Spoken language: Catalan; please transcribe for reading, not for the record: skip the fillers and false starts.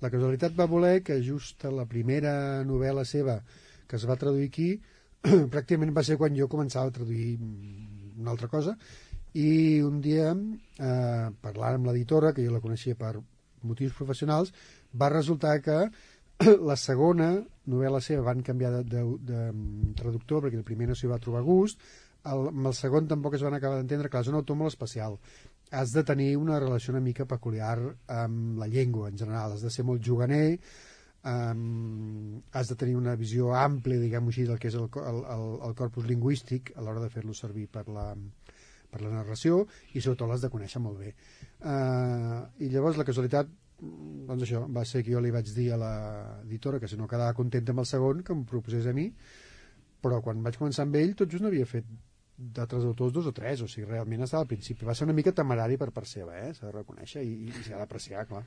La casualitat va voler que just a la primera novel·la seva que es va traduir aquí pràcticament va ser quan jo començava a traduir una altra cosa, i un dia parlant amb l'editora, que jo la coneixia per motius professionals, va resultar que la segona novel·la seva van canviar de traductor perquè el primer no s'hi va trobar gust, amb el segon tampoc es van acabar d'entendre. Clar, és un autor molt especial, has de tenir una relació una mica peculiar amb la llengua en general, has de ser molt juganer, has de tenir una visió àmplia, diguem-ho així, del que és el corpus lingüístic a l'hora de fer-lo servir per la narració, i sobretot l'has de conèixer molt bé. I llavors la casualitat, doncs això, va ser que jo li vaig dir a l'editora que si no quedava contenta amb el segon que em proposés a mi, però quan vaig començar amb ell tot just n'havia fet d'altres autors 2 o 3, o sigui, realment estava al principi. Va ser una mica temerari per part seva, s'ha de reconèixer, i s'ha d'apreciar, clar.